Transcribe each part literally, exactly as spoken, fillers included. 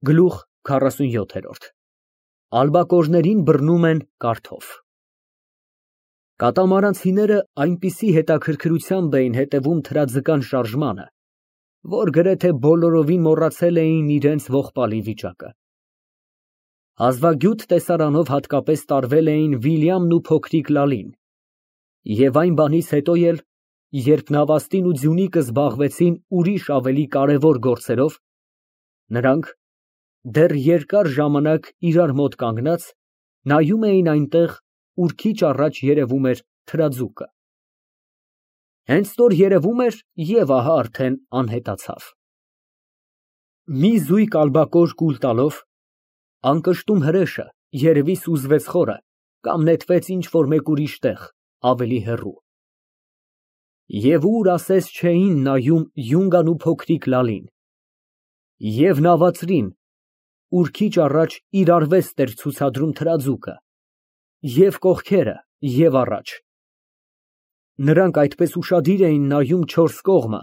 Գլուխ քառասունյոթ Ալբակորներին բռնում են կարթով։ Կատամարանցիները այնպիսի հետաքրքրությամբ էին հետևում թրաձկան շարժմանը, որ գրեթե բոլորովին մոռացել էին իրենց ողբալի վիճակը։ Հազվագյուտ տեսարանով հատկապես տարվել էին Վիլյամն ու փոքրիկ Լալին, և այն բանից հետո էլ, երբ Նավաստին ու Ձյունիկը զբաղվեցին ուրիշ ավելի կարևոր գործերով, նրանք, դեռ երկար ժամանակ իրար մոտ կանգնած, նայում էին այնտեղ, ուր քիչ առաջ երևում էր թրաձուկը։ Հենց որ երևում էր, և ահա արդեն անհետացավ։ Մի զույգ ալբակոր կուլ տալով, անկշտում հրեշը երևի սուզվեց խորը կամ նետվեց ինչ֊որ մեկ ուրիշ տեղ, ավելի հեռու։ Եվ ուր ասես չէին նայում Յունգան ու փոքրիկ Լալին, և նավածրին, ուր քիչ առաջ իր արվեստն էր ցուցադրում թրաձուկը, և կողքերը, և առաջ։ Նրանք այդպես ուշադիր էին նայում չորս կողմը,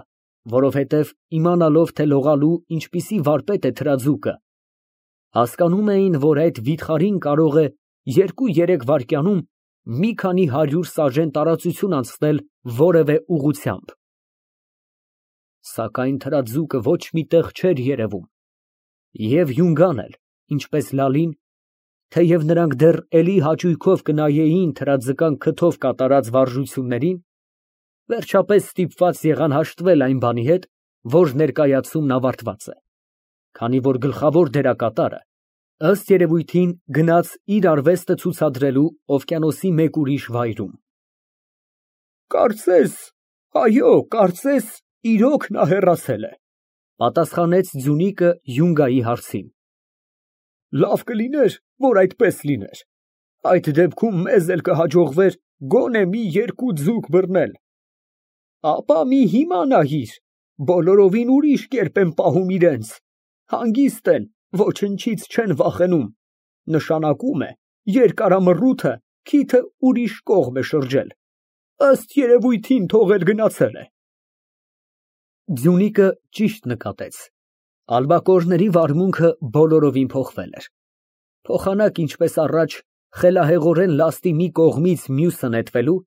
որովհետև իմանալով, թե լողալու ինչպիսի վարպետ է թրաձուկը, հասկանում էին, որ այդ վիթխարին կարող է երկու֊երեք վայրկյանում մի քանի հարյուր սաժեն տարածություն անցնել որևէ ուղղությամբ։ Սակայն թրաձուկը ոչ մի տեղ չէր երևում, և Յունգան էլ, ինչպես Լալին, թեև նրանք դեռ էլի հաճույքով կնայեին թրաձկան քթով կատարած վարժություններին, վերջապես ստիպված եղան հաշտվել այն բանի հետ, որ ներկայացումն ավարտված է, քանի որ գլխավոր դերակատարը, ըստ երևույթին, գնաց իր արվեստը ցուցադրելու օվկիանոսի մեկ ուրիշ վայրում։ Կարծես, այո, կարծես, իրոք նա հեռացել է, պատասխանեց Ձյունիկը Յունգայի հարցին։ Լավ կլիներ, որ այդպես լիներ, այդ դեպքում մեզ էլ կհաջողվեր գոնե մի երկու ձուկ բռնել։ Ապա մի հիմա նայիր, բոլորովին ուրիշ կերպ են պահում իրենց, հանգիստ են, ոչնչից չեն վախենում, նշանակում է, երկարամռութը քիթը ուրիշ կողմ է շրջել, ըստ երևույթին թող էլ գնացել է։ Ձյունիկը ճիշտ նկատեց, ալբակորների վարմունքը բոլորովին փոխվել էր, փոխանակ ինչպես առաջ խելահեղորեն լաստի մի կողմից մյուսը նետվելու,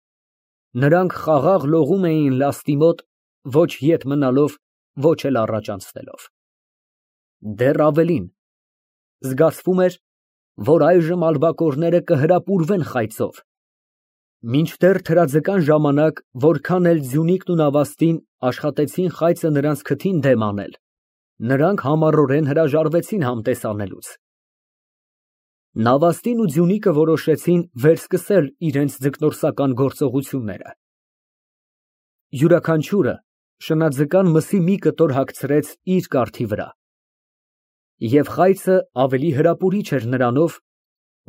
նրանք խաղաղ լողում էին լաստի մոտ, ոչ ետ մնալով, ոչ էլ առաջ անցնելով։ Դեռ ավելին, զգացվում էր, որ այժմ ալբակորները կհրապուրվեն խայծով, մինչդեռ թրաձկան ժամանակ, որքան էլ Ձյունիկն ու Նավաստին աշխատեցին խայծը նրանց քթին դեմ անել, նրանք համառորեն հրաժարվեցին համտես անելուց։ Նավաստին ու Ձյունիկը որոշեցին վերսկսել իրենց ձկնորսական գործողությունները։ Յուրաքանչյուրը շնաձկան մսի մի կտոր հագցրեց իր կարթի վրա, և խայծը ավելի հրապուրիչ էր նրանով,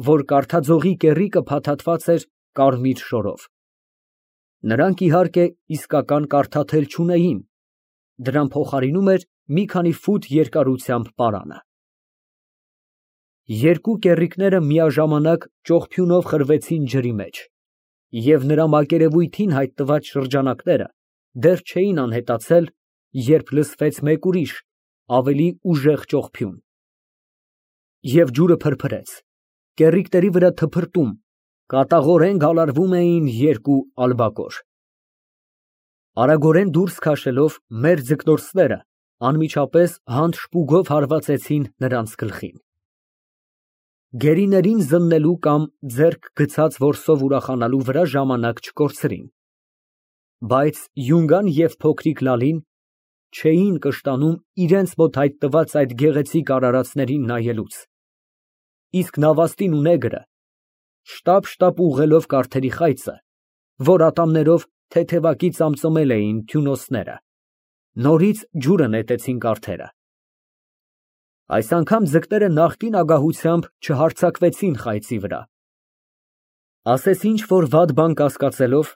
որ կարթաձողի կեռիկը փաթաթված էր կարմիր շորով։ Նրանք, իհարկե, իսկական կարթաթել չունեին, դրան փոխարինում էր մի քանի ֆուտ երկարությամբ պարանը։ Երկու կեռիկները միաժամանակ ճողփյունով խրվեցին ջրի մեջ, և նրա մակերևույթին հայտնված շրջանակները դեռ չէին անհետացել, երբ լսվեց մեկ ուրիշ, ավելի ուժեղ ճողփյուն, և ջուրը փրփրեց, կեռիկների վրա թփրտում, կատաղորեն գալարվում էին երկու ալբակոր։ Արագորեն դուրս քաշելով, մեր ձկնորսները անմիջապես հանդ շպուգով հարվածեցին նրանց գլխին։ Գերիներին զննելու կամ ձեռք գցած որսով ուրախանալու վրա ժամանակ չկորցրին, բայց Յունգան և փոքրիկ Լալին չէին կշտանում իրենց մոտ հայտնված այդ գեղեցիկ արարածներին նայելուց, իսկ Նավաստին ու նեգրը, շտապ֊շտապ ուղղելով կարթերի խայծը, որ ատամներով թեթևակի ծամծմել էին թյունոցները, նորից ջուրը նետեցին կարթերը։ Այս անգամ ձկները նախկին ագահությամբ չհարձակվեցին խայծի վրա։ Ասես ինչ֊որ վատ բան կասկածելով,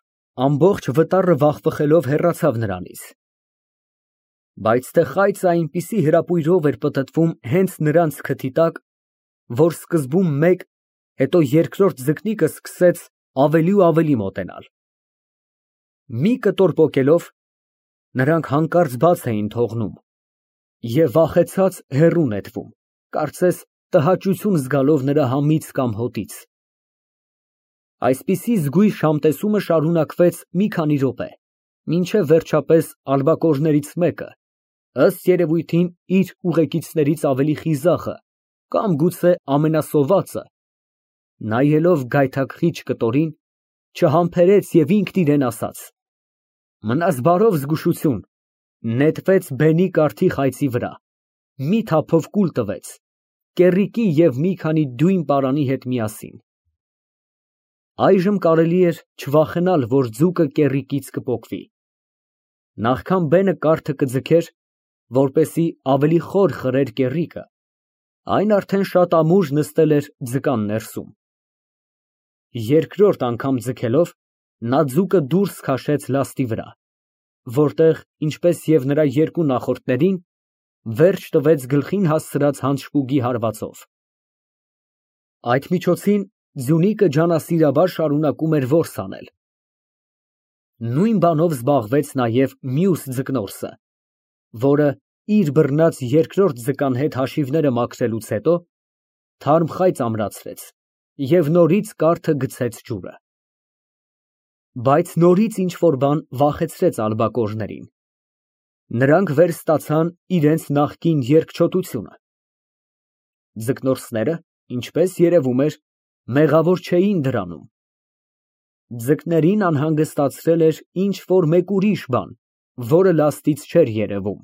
ամբողջ վտառը վախվխելով հեռացավ նրանից։ Բայց թե խայծը այնպիսի հրապույրով էր պտտվում հենց նրանց քթի տակ, որ սկզբում մեկ, հետո երկրորդ ձկնիկը սկսեց ավելի ու ավելի մոտենալ։ Մի կտոր պոկելով, նրանք հանկարծ բաց էին թողնում և վախեցած հեռու նետվում, կարծես տհաճություն զգալով նրա համից կամ հոտից։ Այսպիսի զգույշ համտեսումը շարունակվեց մի քանի րոպե, մինչև վերջապես ալբակորներից մեկը, ըստ երևույթին իր ուղեկիցներից ավելի խիզախը կամ գուցե ամենասովածը, նայելով գայթակղիչ կտորին, չհամբերեց և ինքն իրեն ասաց. «Մնաս բարով զգուշություն», նետվեց բենի կարթի խայծի վրա, մի թափով կուլ տվեց, կեռիկի և մի քանի դույն պարանի հետ միասին։ Այժմ կարելի էր չվախենալ, որ ձուկը կեռիկից կպոկվի։ Նախքան բենը կարթը կձգեր, որպեսզի ավելի խոր խրեր կեռիկը, այն արդեն շատ ամուր նստել էր ձկան ներսում։ Երկրորդ անգամ ձգելով, նա ձուկը դուրս քաշեց լաստի վրա, որտեղ, ինչպես և նրա երկու նախորդներին, վերջ տվեց գլխին հասցրած հանցշպուգի հարվածով։ Այդ միջոցին ձյունիկը ջանասիրաբար շարունակում էր որս անել։ Նույն բանով զբաղվեց նաև մյուս ձկնորսը, որը, իր բռնած երկրորդ ձկան հետ հաշիվները մաքրելուց հետո, թարմ խայծ ամրացրեց և նորից կարթը գցեց ջուրը։ Բայց նորից ինչ֊որ բան վախեցրեց ալբակորներին։ Նրանք վերստացան իրենց նախկին երկչոտությունը։ Ձկնորսները, ինչպես երևում էր, մեղավոր չէին դրանում։ Ձկներին անհանգստացրել էր ինչ֊որ մեկ ուրիշ բան, որը լաստից չէր երևում։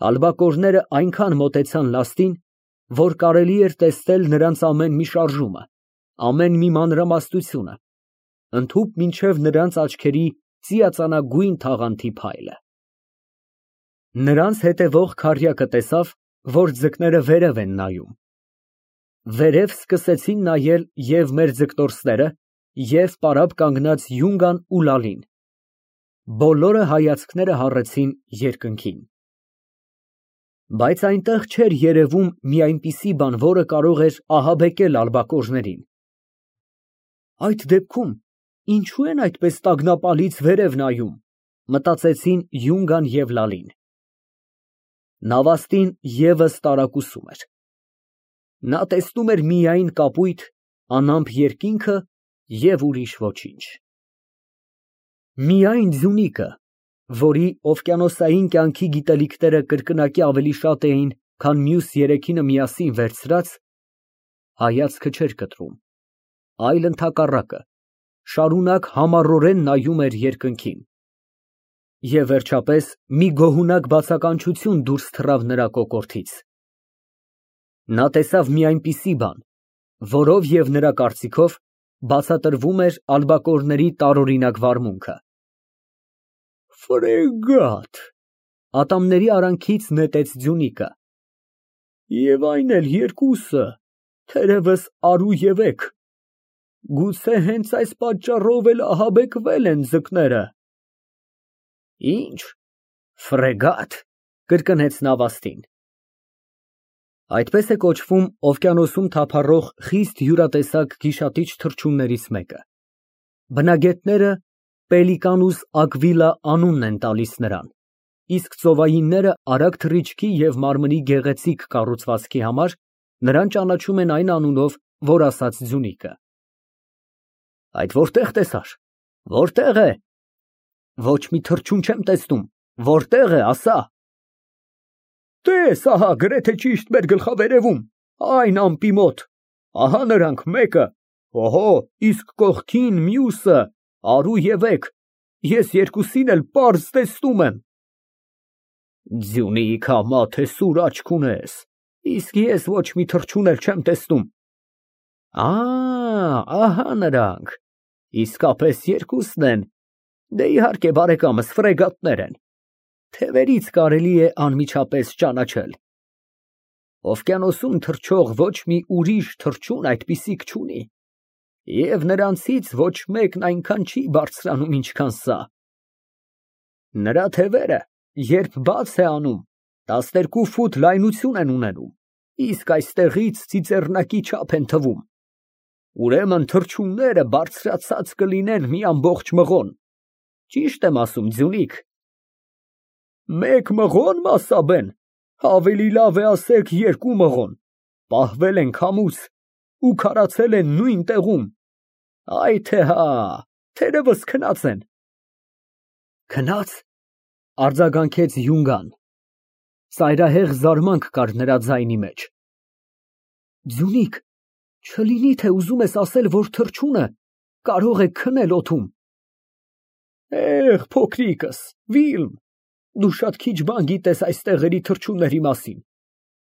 Ալբակորները այնքան մոտեցան լաստին, որ կարելի էր տեսնել նրանց ամեն մի շարժումը, ամեն մի մանրամասնությունը, ընդհուպ մինչև նրանց աչքերի ծիածանագույն թաղանթի փայլը։ Նրանց հետևող քառյակը տեսավ, որ ձկները վերև են նայում։ Վերև սկսեցին նայել և մեր ձկնորսները, և պարապ կանգնած Յունգան ու Լալին։ Բոլորը հայացքները հառեցին երկնքին։ Բայց այնտեղ չէր երևում մի այնպիսի բան, որը կարող էր ահաբեկել ալբակորներին։ Այդ դեպքում ինչո՞ւ են այդպես տագնապալից վերև նայում, մտածեցին Յունգան և Լալին։ Նավաստին ևս տարակուսում էր։ Նա տեսնում էր միայն կապույտ, անամպ երկինքը և ուրիշ ոչինչ։ Միայն ձյունիկը, որի օվկիանոսային կյանքի գիտելիքները կրկնակի ավելի շատ էին, քան մյուս երեքինը միասին վերցրած, հայացքը չէր կտրում, այլ ընդհակառակը, շարունակ համառորեն նայում էր երկնքին։ Եվ վերջապես մի գոհունակ բացականչություն դուրս թռավ նրա կոկորդից։ Նա տեսավ մի այնպիսի բան, որով և նրա կարծիքով բացատրվում էր ալբակորների տարօրինակ վարմունքը։ Ֆրեգատ, ատամների արանքից նետեց ձյունիկը։ Եվ այն էլ երկուսը, թերևս արու և էգ։ Գուցե հենց այս պատճառով էլ ահաբեկվել են ձկները։ Ինչ, ֆրեգատ, կրկնեց նավաստին։ Այդպես է կոչվում օվկիանոսում թափառող խիստ յուրատեսակ գիշատիչ թռչուններից մեկը։ Բնագետները Պելիկանուս ակվիլա անունն են տալիս նրան, իսկ ծովայինները արագ թռիչքի և մարմնի գեղեցիկ կառուցվածքի համար նրան ճանաչում են այն անունով, որ ասաց ձյունիկը։ Այդ որտե՞ղ տեսար, որտե՞ղ է։ Ոչ մի թռչուն չեմ տեսնում, որտե՞ղ է, ասա։ Տես, ահա գրեթե ճիշտ մեր գլխավերևում, այն ամպի մոտ, ահա նրանք, մեկը, օհո, իսկ կողքին մյուսը, արու և էգ, ես երկուսին էլ պարզ տեսնում եմ։ Ձյունիկ համա, թե սուր աչք ունես, իսկ ես ոչ մի թռչուն էլ չեմ տեսնում։ Ա, ահա նրանք, իսկապես երկուսն են, դե իհարկե բարեկամս, ֆրեգատներ են, թևերից կարելի է անմիջապես ճանաչել։ Օվկիանոսում թռչող ոչ մի ուրիշ թռչուն այդպիսիք չունի, և նրանցից ոչ մեկն այնքան չի բարձրանում, ինչքան սա։ Նրա թևերը, երբ բաց է անում, տասներկու ֆուտ լայնություն են ունենում, իսկ այստեղից ծիծեռնակի չափ են թվում։ Ուրեմն թռչունները բարձրացած կլինեն մի ամբողջ մղոն, ճիշտ եմ ասում, ձյունիկ։ Մեկ մղո՞ն, Մասաբեն, Ավելի լավ է ասեք երկու մղոն, պահվել են քամուց ու քարացել են նույն տեղում։ Այ թե հա, թերևս քնած են։ Քնա՞ծ, արձագանքեց Յունգան։ Ծայրահեղ զարմանք կար նրա ձայնի մեջ։ Ձյունիկ, չլինի թե ուզում ես ասել, որ թռչունը կարող է քնել օդում։ Էհ, փոքրիկս, Վիլմ, դու շատ քիչ բան գիտես այս տեղերի թռչունների մասին։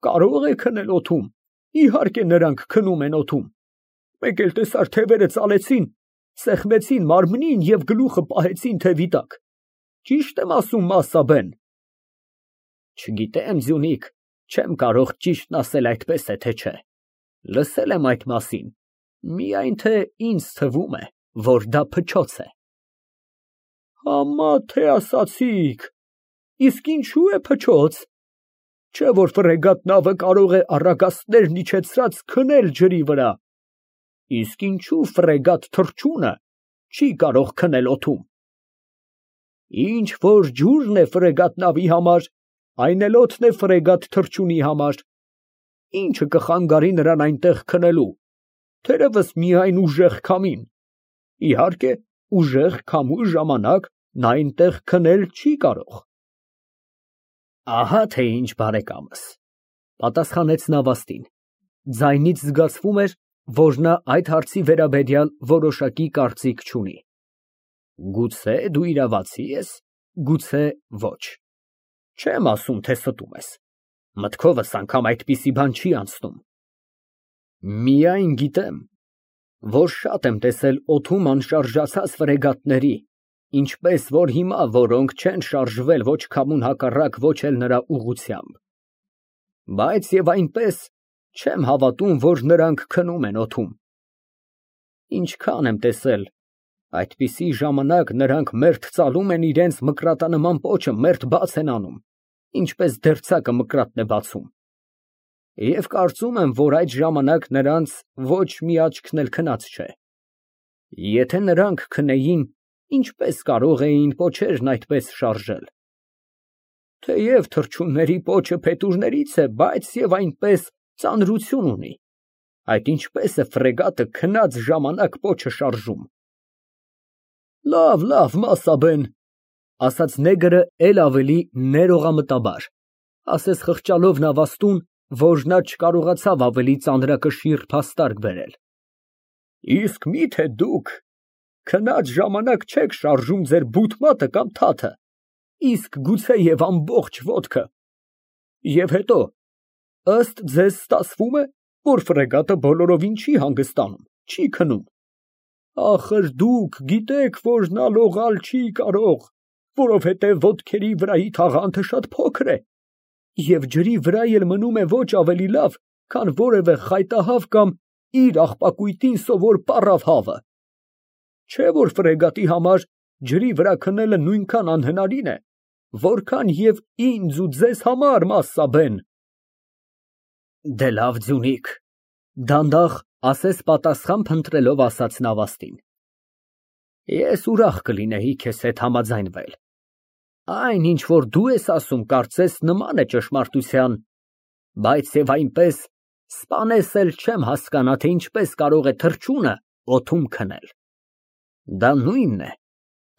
Կարող է քնել օդում, իհարկե նրանք քնում են օդում։ Մեկ էլ տեսար թևերը ծալեցին, սեղմեցին մարմնին և գլուխը պահեցին թևի տակ։ Ճիշտ եմ ասում, Մասսաբեն։ Չգիտեմ, Ձյունիկ, չեմ կարող ճիշտն ասել այդպես է, թե չէ։ Լսել եմ այդ մասին, միայն թե ինձ թվում է, որ դա փչոց է։ Համա թե ասացիք, իսկ ինչու է փչոց։ Չէ՞ որ ֆրեգատ նավը կարող է առագաստներն իջեցրած քնել ջրի վրա։ Իսկ ինչու ֆրեգատ թռչունը չի կարող քնել օդում։ Ինչ որ ջուրն է ֆրեգատ նավի համար, այն էլ օդն է ֆրեգատ թռչունի համար։ Ինչը կխանգարի նրան այնտեղ քնելու, թերևս միայն ուժեղ քամին։ Իհարկե, ուժեղ քամու ժամանակ նա այնտեղ քնել չի կարող։ Ահա թե ինչ, բարեկամս, պատասխանեց նավաստին։ Ձայնից զգացվում էր, որ նա այդ հարցի վերաբերյալ որոշակի կարծիք չունի։ Գուցե դու իրավացի ես, գուցե ոչ։ Չեմ ասում, թե ստում ես։ Մտքովս անգամ այդպիսի բան չի անցնում։ Միայն գիտեմ, որ շատ եմ տեսել օդում անշարժացած ֆրեգատների, ինչպես որ հիմա, որոնք չեն շարժվել ոչ քամուն հակառակ, ոչ էլ նրա ուղղությամբ։ Բայց և այնպես չեմ հավատում, որ նրանք քնում են օդում։ Ինչքան եմ տեսել, այդպիսի ժամանակ նրանք մերթ ծալում են իրենց մկրատանման պոչը, մերթ բաց են անում, ինչպես դերձակը մկրատն է բացում։ Եվ կարծում եմ, որ այդ ժամանակ նրանց ոչ մի աչքն էլ քնած չէ։ Եթե նրանք քնեին, ինչպես կարող էին պոչերն այդպես շարժել։ Թեև թռչունների պոչը փետուրներից է, բայց և այնպես ծանրություն ունի։ Այդ ինչպես է ֆրեգատը քնած ժամանակ պոչը շարժում։ Լավ, լավ, Մասսաբեն, ասաց նեգրը էլ ավելի ներողամտաբար, ասես խղճալով նավաստուն, որ նա չկարողացավ ավելի ծանրակշիռ փաստարկ բերել։ Իսկ մի՞թե դուք քնած ժամանակ չեք շարժում ձեր բութմատը կամ թաթը, իսկ գուցեև ամբողջ ոտքը։ Եվ հետո, ըստ ձեզ ստացվում է, որ ֆրեգատը բոլորովին չի հանգստանում, չի քնում։ Ախր դուք գիտեք, որ նա լողալ չի կարող, որովհետև ոտքերի վրայի թաղանթը շատ փոքր է, և ջրի վրա էլ մնում է ոչ ավելի լավ, քան որևէ խայտահավ կամ իր աղբակույտին սովոր պառավ հավը։ Չէ՞ որ ֆրեգատի համար ջրի վրա քնելը նույնքան անհնարին է, որքան և ինձ ու ձեզ համար, Մասսաբեն։ Դե լավ, Ձյունիկ, դանդաղ, ասես պատասխան փնտրելով ասաց նավաստին։ Ես ուրախ կլինեի քեզ հետ համաձայնվել։ Այն, ինչ որ դու ես ասում, կարծես նման է ճշմարտության, բայց և այնպես սպանես էլ չեմ հասկանա, թե ինչպես կարող է թռչունը օդում քնել։ Դա նույնն է,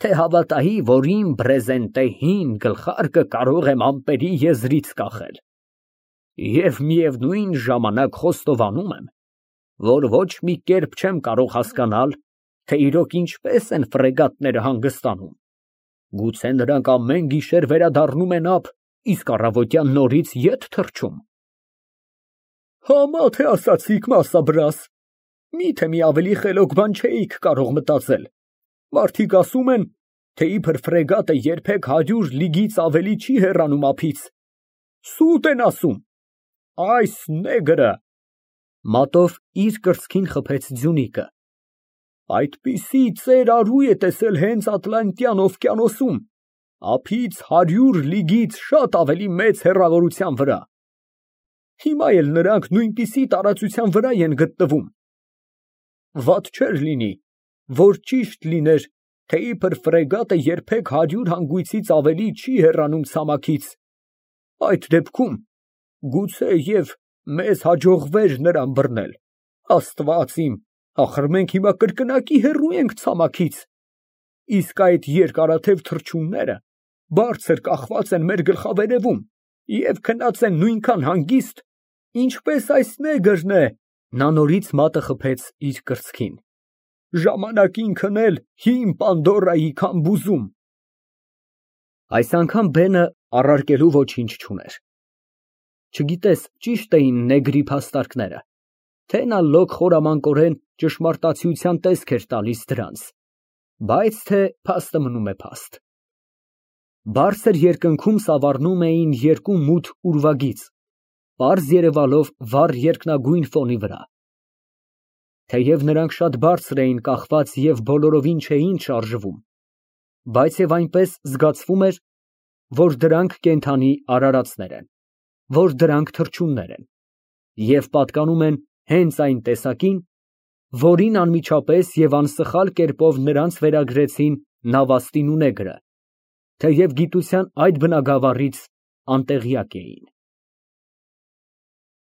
թե հավատայի, որ իմ բրեզենտե հին գլխարկը կարող եմ ամպերի եզրից կախել։ Եվ միևնույն ժամանակ խոստովանում եմ, որ ոչ մի կերպ չեմ կարող հասկանալ, թե իրոք ինչպես են ֆրեգատները հանգստանում։ Գուցե նրանք ամեն գիշեր վերադառնում են ափ, իսկ առավոտյան նորից ետ թռչում։ Համա թե ասացիք, Մասսաբրաս, միթե մի ավելի խելոք բան չէիք կարող մտածել։ Մարդիկ ասում են, թե իբր ֆրեգատը երբեք հարյուր լիգից ավելի չի հեռանում ափից։ Սուտ են ասում։ Այս նեգրը մատով իր կրծքին խփեց Ձյունիկը։ Այդպիսի ծեր արու է տեսել հենց Ատլանտյան օվկիանոսում, ափից հարյուր լիգից շատ ավելի մեծ հեռավորության վրա։ Հիմա էլ նրանք նույնպիսի տարածության վրա են գտնվում։ Վատ չէր լինի, որ ճիշտ լիներ, թե իբր ֆրեգատը երբեք հարյուր հանգույցից ավելի չի հեռանում ցամաքից։ Այդ դեպքում Գուցեև մեզ հաջողվեր նրան բռնել, Աստված իմ, ախր մենք հիմա կրկնակի հեռու ենք ցամաքից, իսկ այդ երկարաթև թռչունները բարձր կախված են մեր գլխավերևում և քնած են նույնքան հանգիստ, ինչպես այս նեգրն է (Նա նորից մատը խփեց իր կրծքին) ժամանակին քնել հին Պանդորայի քամբուզում։ Այս անգամ բենը առարկելու ոչինչ չուներ։ Չգիտես ճի՞շտ էին նեգրի փաստարկները, թե նա լոկ խորամանկորեն ճշմարտացիության տեսք էր տալիս դրանց, բայց թե փաստը մնում է փաստ։ Բարձր երկնքում սավառնում էին երկու մութ ուրվագիծ, պարզ երևալով վառ երկնագույն ֆոնի վրա։ Թեև նրանք շատ բարձր էին կախված և բոլորովին չէին շարժվում, բայց և այնպես զգացվում էր, որ դրանք կենդանի արարածներ են, որ դրանք թռչուններ են և պատկանում են հենց այն տեսակին, որին անմիջապես և անսխալ կերպով նրանց վերագրեցին Նավաստին ու նեգրը, թեև գիտության այդ բնագավառից անտեղյակ էին։